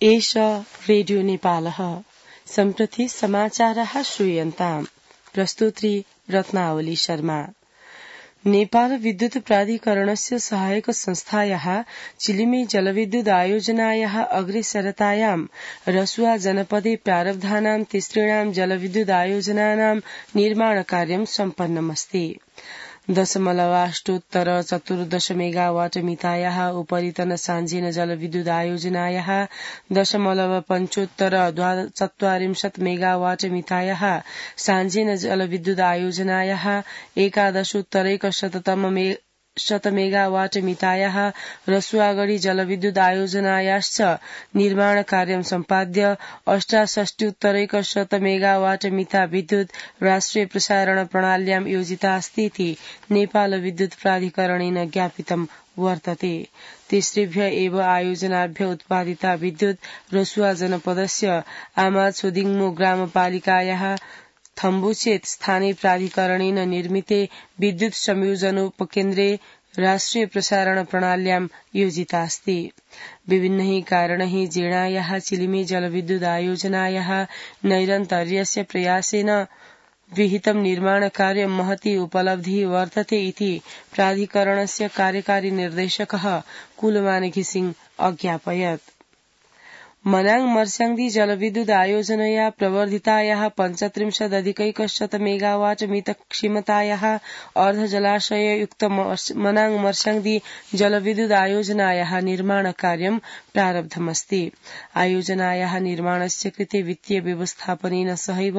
एष रेडियो नेपालः सम्प्रति समाचारः श्रूयन्ताम्। प्रस्तुत्री रत्नावली शर्मा। नेपाल विद्युत प्राधिकरणस्य सहायक संस्थायाः चिलिमे जलविद्युत आयोजनायाः अग्रेसरतायां रसुआ जनपदे प्रारब्धानां तिसृणां जलविद्युत आयोजनानां निर्माणकार्यं सम्पन्नमस्ति। 0.14 मेगावाट मितायाः उपरितन साञ्जेन जलविद्युत आयोजनायाः 0.45 मेगावाट मितायाः साञ्जेन जलविद्युत आयोजनायाः 11.1 मेगावाट मितायाः रसुआगढी जलविद्युत आयोजनायाश्च निर्माण कार्यं सम्पाद्य 68.1 मेगावाट मिता विद्युत राष्ट्रिय प्रसारण प्रणाल्यां योजितास्तीति नेपाल विद्युत प्राधिकरणेन ज्ञापितं वर्तते। तिसृभ्य एव आयोजनाभ्य उत्पादिता विद्युत रसुआ जनपदस्य आमाछोदिङमो ग्रामपालिकायाः थम्बुचेत स्थानीय प्राधिकरणेन निर्मिते विद्युत संयोजनोपकेन्द्रे राष्ट्रिय प्रसारण प्रणाल्यां योजितास्ति। विभिन्नैः कारणैः जीर्णायाः चिलिमे जलविद्युत आयोजनायाः नैरन्तर्यस्य प्रयासेन विहितं निर्माणकार्यं महती उपलब्धिः वर्तते इति प्राधिकरणस्य कार्यकारी निर्देशकः कुलमानेकी सिंह अज्ञापयत्। मनाङ मर्स्याङ्दी जलविद्युत आयोजनया प्रवर्धितायाः 35.1 मेगावाट मित क्षमतायाः अर्धजलाशययुक्त मनाङ मर्स्याङ्दी जलविद्युत आयोजनायाः निर्माणकार्यं प्रारब्धमस्ति। आयोजनायाः निर्माणस्य कृते वित्तीय व्यवस्थापनेन सहैव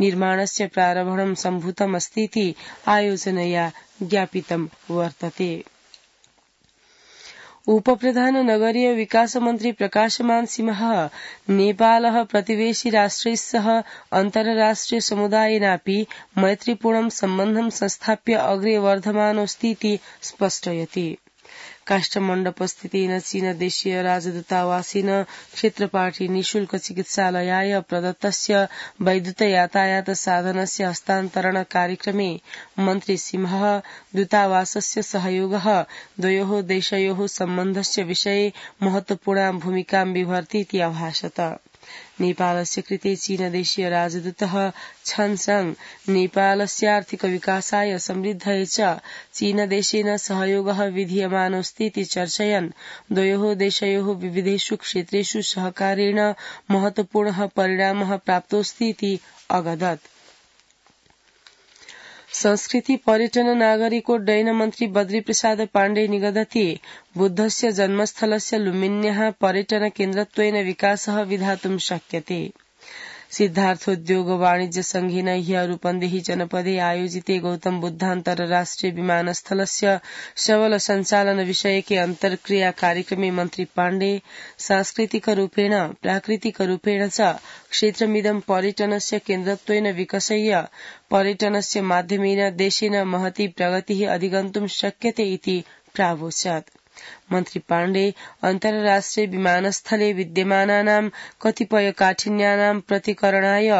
निर्माणस्य प्रारम्भं सम्भूतमस्तीति आयोजनया ज्ञापितं वर्तते। उपप्रधान नगरीय विकास मन्त्री प्रकाशमान सिंहः नेपालः प्रतिवेशी राष्ट्रैस्सह अन्तर्राष्ट्रिय समुदायेनापि मैत्रीपूर्णं सम्बन्धं संस्थाप्य अग्रे वर्धमानोऽस्तीति स्पष्टयति। काष्ठमण्डपस्थितेन चीनदेशीय राजदूतावासेन क्षेत्रपाठी निःशुल्क चिकित्सालयाय प्रदत्तस्य वैद्युत यातायात साधनस्य हस्तान्तरण कार्यक्रमे मन्त्री सिंहः दूतावासस्य सहयोगः द्वयोः देशयोः सम्बन्धस्य विषये महत्वपूर्णां भूमिकां बिभर्तीति अभाषत। नेपालस्य कृते चीनदेशीय राजदूतः छनसंग नेपालस्य आर्थिक विकासाय समृद्धये च चीनदेशेन सहयोगः विधीयमानोऽस्तीति चर्चयन् द्वयोः देशयोः विविधेषु क्षेत्रेषु सहकारेण महत्वपूर्णः परिणामः प्राप्तोऽस्तीति अगदत्। संस्कृति पर्यटन नागरिकोड्डयन मन्त्री बद्री प्रसाद पाण्डे निगदति बुद्धस्य जन्मस्थलस्य लुम्बिन्याः पर्यटन केन्द्रत्वेन विकासः विधातुं शक्यते। सिद्धार्थोद्योग वाणिज्य संघेन ह्यः रूपन्देही जनपदे आयोजिते गौतम बुद्धान्तरराष्ट्रिय विमानस्थलस्य सबल सञ्चालन विषयके अन्तर्क्रिया कार्यक्रमे मन्त्री पाण्डे सांस्कृतिक रूपेण प्राकृतिक रूपेण च क्षेत्रमिदं पर्यटनस्य केन्द्रत्वेन विकसय्य पर्यटनस्य माध्यमेन देशेन महती प्रगतिः अधिगन्तुं शक्यते इति प्रावोचत्। मन्त्री पाण्डे अन्तर्राष्ट्रिय विमानस्थले विद्यमानानां कतिपय काठिन्यानां प्रतिकरणाय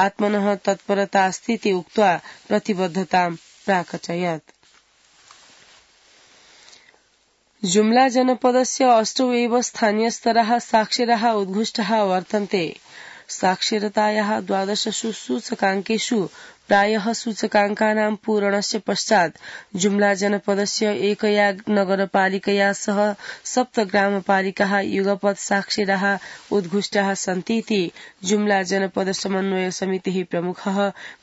आत्मनः तत्परतास्तीति उक्त्वा प्रतिबद्धतां प्राकटयत्। जुम्ला जनपदस्य 8 एव स्थानीयस्तराः साक्षराः उद्घुष्टाः वर्तन्ते। साक्षरतायाः 12 सूचकाङ्केषु प्रायः सूचकाङ्कानां पूरणस्य पश्चात् जुम्ला जनपदस्य एकया नगरपालिकया सह 7 ग्रामपालिकाः युगपत् साक्षराः उद्घुष्टाः सन्तीति जुम्ला जनपद समन्वय समितेः प्रमुखः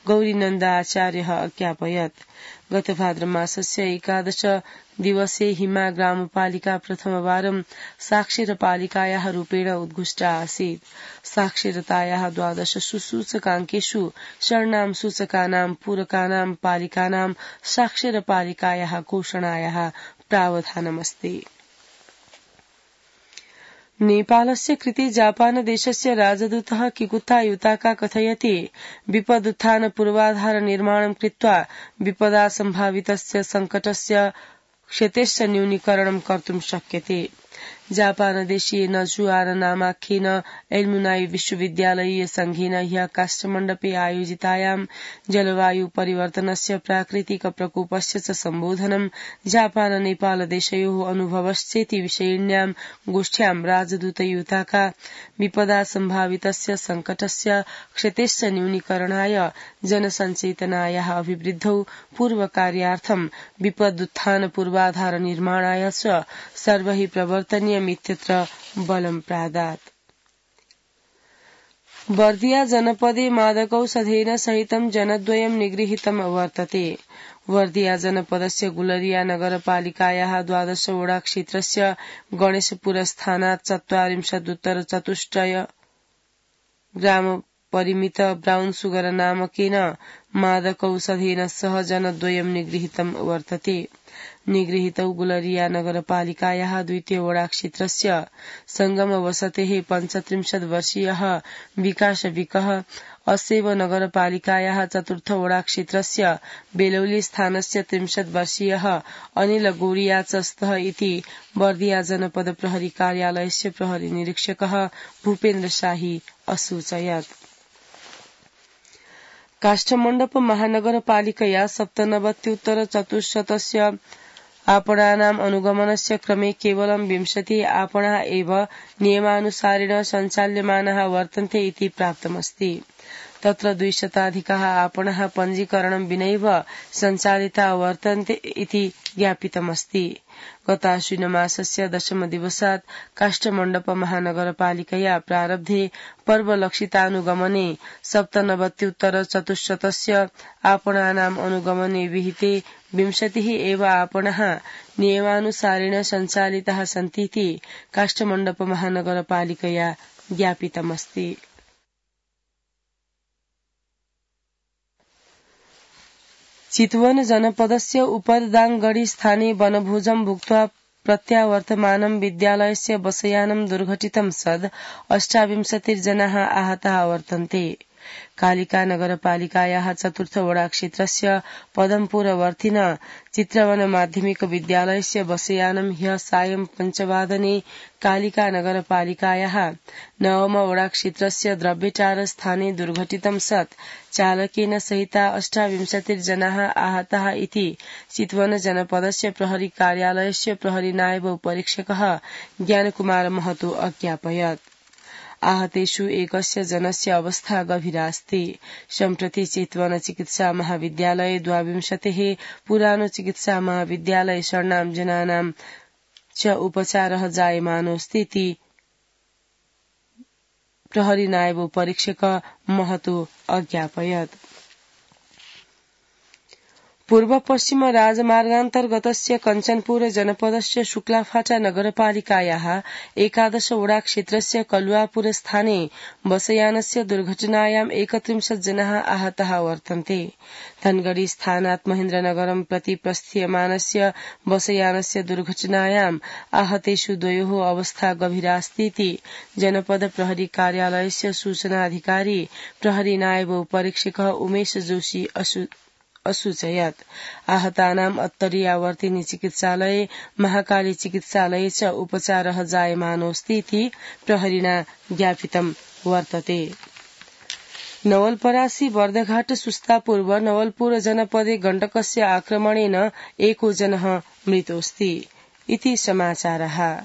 गौरीनन्द आचार्यः अज्ञापयत्। गत भाद्रमासस्य 11 दिवसे हिमा ग्रामपालिका प्रथमवारं साक्षरपालिकायाः रूपेण उद्घुष्टा आसीत्। साक्षरतायाः 12 सूचकाङ्केषु षण्णां सूचकानां पूरकानां पालिकानां साक्षरपालिकायाः घोषणायाः प्रावधानमस्ति। नेपालस्य कृते जापानदेशस्य राजदूतः किकुता युताका कथयति विपदुत्थान पूर्वाधार निर्माणं कृत्वा विपदा सम्भावितस्य संकटस्य क्षतेश्च न्यूनीकरणं कर्तुं शक्यते। जापानदेशीय नजुआर नामाख्येन एल्मुनाई विश्वविद्यालयीय संघेन ह्यः काष्ठमण्डपे आयोजितायां जलवायु परिवर्तनस्य प्राकृतिक प्रकोपस्य च सम्बोधनं जापान नेपाल देशयोः अनुभवश्चेति विषयिण्यां गोष्ठ्यां राजदूत युताका विपदा सम्भावितस्य संकटस्य क्षतेश्च न्यूनीकरणाय जनसञ्चेतनायाः अभिवृद्धौ पूर्वकार्यार्थं विपदुत्थान पूर्वाधार निर्माणाय च सर्वैः प्रवर्तनीयमित्यत्र बलं प्रादात्। वर्धिया जनपदे मादकौषधेन सहितं जनद्वयं निगृहीतम् वर्तते। वर्धिया जनपदस्य गुलरिया नगरपालिकायाः 12 वडा क्षेत्रस्य गणेशपुरस्थानात् 44 ग्राम परिमित ब्राउन सुगर नामकेन मादकौषधेन सह जनद्वयं निगृहीतं वर्तते। निगृहीतौ गुलरिया नगरपालिकायाः 2 वडा क्षेत्रस्य संगम वसतेः 35 वर्षीयः विकास विकः, असेव नगरपालिकायाः 4 वडा क्षेत्रस्य बेलौली स्थानस्य 30 वर्षीयः अनिल गोरिया च स्तः इति वर्धिया जनपद प्रहरी कार्यालयस्य प्रहरी निरीक्षकः भूपेन्द्र शाही असूचयत्। काष्ठमण्डप महानगरपालिकया 97,400 आपणानाम् अनुगमनस्य क्रमे केवलं 20 आपणाः एव नियमानुसारेण सञ्चाल्यमानाः वर्तन्ते इति प्राप्तमस्ति। तत्र 200 आपणाः पञ्जीकरणं विनैव सञ्चालिता वर्तन्ते इति ज्ञापितमस्ति। गताश्विनमासस्य 10 दिवसात् काष्ठमण्डप महानगरपालिकया प्रारब्धे पर्वलक्षितानुगमने 97,400 आपणानाम् अनुगमने विहिते 20 एव आपणाः नियमानुसारेण सञ्चालिताः सन्तीति काष्ठमण्डप महानगरपालिकया ज्ञापितमस्ति। चितवन जनपदस्य उपरदाङगढी स्थाने वनभोजं भुक्त्वा प्रत्यावर्तमानं विद्यालयस्य बसयानं दुर्घटितं सद् 28 जनाः आहताः वर्तन्ते। कालिका नगरपालिकायाः 4 वडा क्षेत्रस्य पदमपुरवर्तिन चित्रवन माध्यमिक विद्यालयस्य बसयानं ह्यः सायं 5 वादने कालिका नगरपालिकायाः 9 वडा क्षेत्रस्य द्रव्यटार स्थाने दुर्घटितं सत् चालकेन सहिता 28 जनाः आहताः इति चितवन जनपदस्य प्रहरी कार्यालयस्य प्रहरी नायब उपरीक्षकः ज्ञानकुमार महतो अज्ञापयत्। आहतेषु एकस्य जनस्य अवस्था गभीरास्ति। सम्प्रति चितवन चिकित्सा महाविद्यालये 22 पुरानो चिकित्सा महाविद्यालय षण्णां जनानां च उपचारः जायमानोऽस्ति इति प्रहरी नायब उपरीक्षक महतो अज्ञापयत्। पूर्व पश्चिम राजमार्गान्तर्गतस्य कञ्चनपुर जनपदस्य शुक्लाफाटा नगरपालिकायाः 11 वडा क्षेत्रस्य कलुवापुर स्थाने बसयानस्य दुर्घटनायां 31 जनाः आहताः वर्तन्ते। धनगढ़ी स्थानात् महेन्द्रनगरं प्रति प्रस्थीयमानस्य बसयानस्य दुर्घटनायां आहतेषु 2 अवस्था गभीरास्ति इति जनपद प्रहरी कार्यालयस्य सूचनाधिकारी प्रहरी नायब उपरीक्षकः उमेश जोशी असूचयत्। आहतानाम् अत्तरियावर्तिनी चिकित्सालये महाकाली चिकित्सालये च उपचारः जायमानोऽस्ति इति प्रहरिणा ज्ञापितं वर्तते। नवलपरासी बर्दघाट सुस्तापूर्व नवलपुर जनपदे गण्डकस्य आक्रमणेन 1 जनः मृतोऽस्ति इति समाचारः।